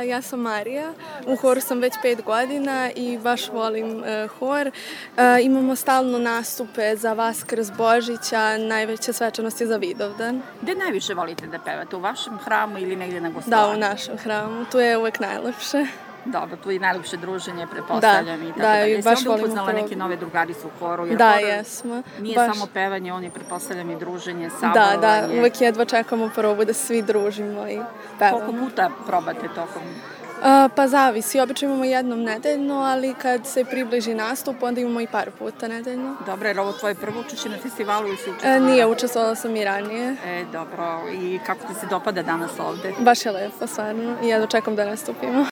Ja sam Marija, u horu sam već 5 godina i baš volim hor. Imamo stalno nastupe za Vaskrs, Božića, najveća svečanost je za Vidovdan. Gde najviše volite da pevate, u vašem hramu ili negdje na gostovanju? Da, u našem hramu, tu je uvek najlepše. Dobro, tu je najlepše druženje, pretpostavljam i tako da, dalje. i baš Jesi volimo onda upoznala program. neke nove drugarice u horu? Jer Da, hor jesmo. Nije baš. samo pevanje, on je, pretpostavljam, i druženje, saborovanje. Da, uvek jedva čekamo probu da svi družimo i pevamo. Koliko puta probate tokom? Pa zavisi, obično imamo jednom nedeljno, ali kad se približi nastup, onda imamo i par puta nedeljno. Dobro, jer ovo tvoje prvo učešće na festivalu ili si učestvovala? Nije, učestvovala sam i ranije. Dobro, i kako ti se dopada danas ovde? Baš je lepo, stvarno, i jedva čekam da nastupimo.